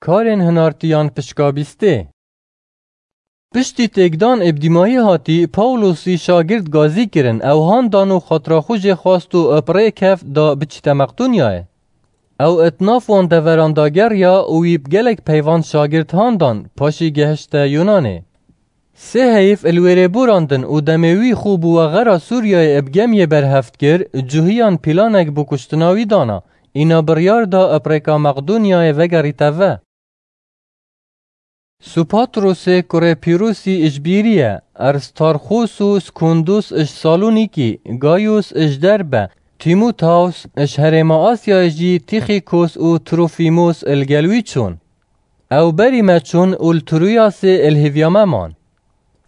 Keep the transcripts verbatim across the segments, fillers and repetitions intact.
Karên hinartiyan pişka bîstê. Piştî têkdan ê bi dîmahî hatî, Pawlosî şagird gazî kirin, ew handan û xatira xwe jê xwast û bi rê keft da biçîte Meqdonyayê. Ew di nav wan deveran da geriya û wî bi gelek peyvan şagird handan, paşî gehişte Yunanê. Sê heyf li wêrê borandin û demê wî xwe bi wexera Sûriyeyê bi gemiyê berheft kir, cuhiyan pîlanek bo kuştina wî dana, îna biryar da bi rêka Meqdonyayê vegerîte ve. Supatrosê kurê Pîrusî ji Bîrî ye, Erstarxos û Skundus ji Salonîkî, Gayus ji Derbe, Tîmoteus ji herêma Asyayê jî Tîxîkos û Trofîmos li gel wî çûn. Ew berî me çûn û li Troyasê li hêviya me man.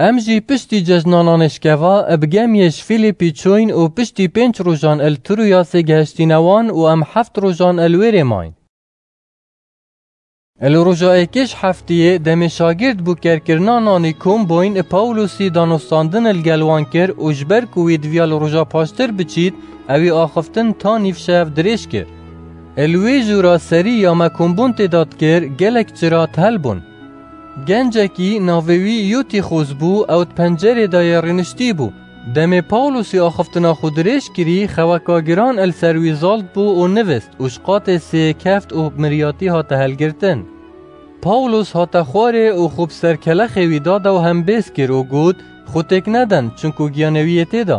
Em jî piştî cejna nanê şkeva bi gemiyê ji Fîlîpî çûyn û piştî pênc rojan li Troyasê gehiştîne wan û em heft rojan li wêrê mayn. Li roja êkê ji heftiyê demê şagird bo kerkirina nanî kom bûyn, Pawlosî danûstandin li gel wan kir û ji ber ku wî diviya li roja paştir biçît, ewî axiftin ta nîvşev dirêj kir. Li wê jûra serî ya me kombûn tê de dikir, gelek çira tihel bûn. Gencekî navê wî Yutîxos bû, ew di pencerê de yê rûniştî bû. Demê Pawlosî axiftina xwe dirêj kirî, xeweka giran li ser wî zalt bû û nivist û ji qatê sê keft û bi miryatî hate helgirtin. Pawlos hate xwarê û xwe bi ser kelexê wî da de û hembêz kir û got, Xwe têk neden, çinku giyanê wî yê tê de.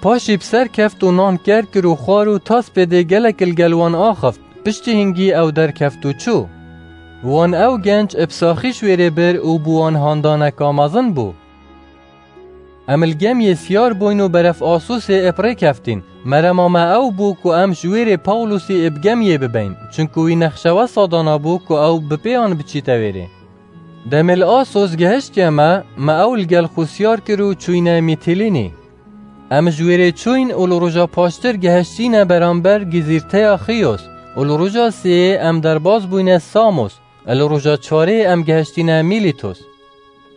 Paşî bi ser keft û nan ker kir û xwar û ta spêdê gelek li gel wan axift, piştî hingî ew derkeft û çû. Wan ew genc bi saxî ji wêrê bir û bi wan handaneka mezin bû. Em li gemiyê siyar bûyn û beref Asosê bi rê keftîn. Merema me ew bû ku em ji wêrê Pawlosî bi gemiyê bibeyn, çinku wî nexşe wesa danabû ku ew bi pêyan biçîte wêrê. Demê li Asos gehiştiye me, me ew li gel xwe siyar kir û çûyne Mîtilînî. Em ji wêrê çûyn û li roja paştir gehiştîne beramber gizîrteya Xiyos û li roja sêyê em derbas bûyne Samos, li roja çarê em gehiştîne Mîlîtos.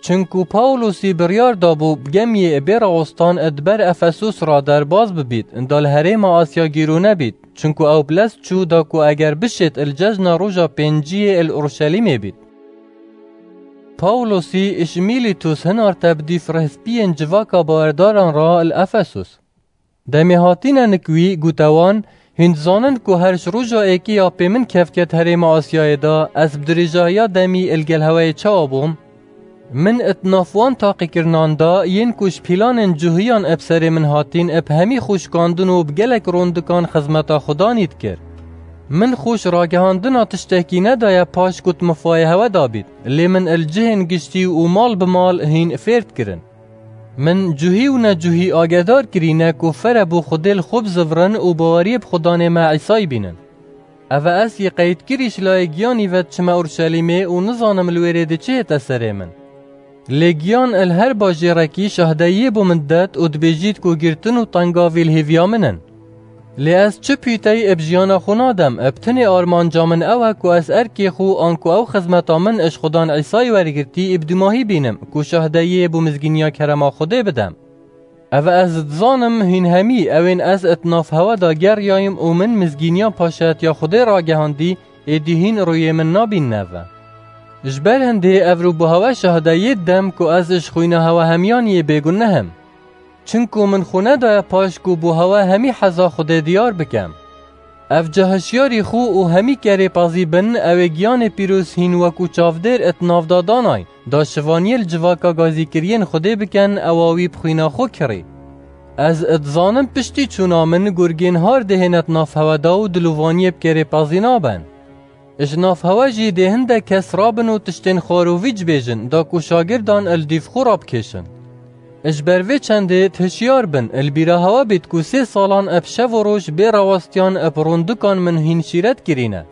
Çinku Pawlosî biryar dabû bi gemiyê bê rawestan di ber Efesos re derbas bibît, da li herêma Asya gîrûne bît, çinku ew bi lez çû da ku eger bişêt li cejna roja pênciyê li Urşelîmê bît. Pawlosî ji Mîlîtus hinarte bi dîf rihspiyên civaka bawerdaran re li Efesus. Demê hatîne nik wî, gote wan, Hûn dizanin ku her ji roja êkê ya pê min kevket herêma Asyayê de, ez bi dirêjahiya demî li gel hewayê çawa bûm? Min di nav wan taqîkirinan de, yên ku ji pîlanên cuhiyan bi serê min hatîn, bi hemî xwe şikandin û bi gelek rondikan xizmeta Xudanî dikir. Min xwe ji ragihandina tiştekî nedaye paş ku di mifayê hewe de bît, lê min li cihên giştî û mal bi mal hîn fêr dikirin. Min cuhî û necuhî agedar kirîne ku fere bo Xwedê li xwe bizivirin û baweriyê bi Xudanê me Îsayî bînin. Eve ez yê qeydkirî ji layê giyanî ve diçime Urşelîmê û nizanim li wêrê de çi hête serê min. Lê giyan li her bajêrekî şahdeyiyê bo min didet û dibêjît ku girtin û tengavî li hêviya min in. Lê ez çi pîteyî bi jiyana xwe nadem, bi tenê armanca min ew e ku ez erkê xwe an ku ew xizmeta min ji Xudan Îsayî wergirtî bi dûmahî bînim, ku şahdeyiyê bo mizgîniya kerema Xwedê bidem. Eve ez dizanim hîn hemî ewên ez di nav hewe de geriyayim û min mizgîniya paşayetiya Xwedê ragihandî, êdî hîn rûyê min nabînine ve. Ji ber hindê ev rû bo hewe şahdeyiyê didem ku ez ji xwîna hewe hemiyan yê bêguneh im. Çinku min xwe nedaye paş ku bo hewe hemî heza Xwedê diyar bikem. Ev ca hişyarî xwe û hemî kerê pezî bin, ew ê giyanê pîroz hîn wekû çavdêr di nav de danay, da şivaniyê li civaka gazîkiriyên Xwedê bikin, ewa wî bi xwîna xwe kirî. Ez dizanim piştî çûna min gurgên har dihêne di nav hewe de û dilovaniyê bi kerê pezî nabin. Ji nav hewe jî dê hindek kes rabin û tiştên xwarovî cibêjin, da ku şagirdan li dîv xwe rabikêşin. Ji ber vê çendê hişyar bin, li bîra hewe bît ku sê salan bi şev û roj bê rawestiyan bi rondikan min hîn şîret kirîne.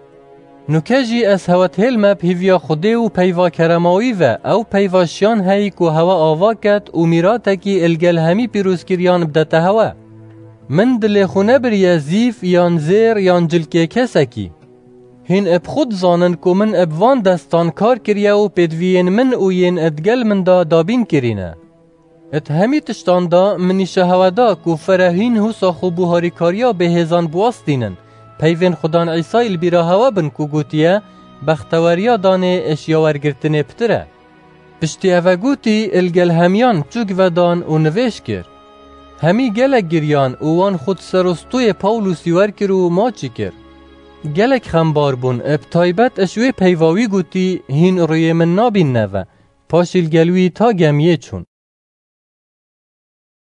Nuke jî ez hewe dihêlme bi hêviya Xwedê û peyva kerema wî ve, ew peyva şiyan heyî ku hewe ava ket û mîratekî li gel hemî pîrozkiriyan bidete hewe. Min dilê xwe nebiriye zîv yan zêr yan cilkê kesekî. Hîn bi xwe dizanin ku min bi van destan kar kiriye û pêdiviyên min û yên digel min de dabîn kirîne. Di hemî tiştan de min nîşa hewe da ku fere hîn husa xwe bo harîkariya bêhêzan biwestînin, peyvên Xudan Îsayî li bîra hewe bin ku gotiye, bexteweriya danê eşya wergirtinê pitir e. Piştî eve gotî, il gel hemiyan çûk vedan û nivêj kir. Hemî gelek giriyan û wan xwe di serostûyê Pawlûsî wer kir û maçî kir. Gelek xembar bûn, bi taybet eş wê peyva wî gotî, hîn rûyê min nabîn neve. Paşî li gel wî ta gemiyê çûn.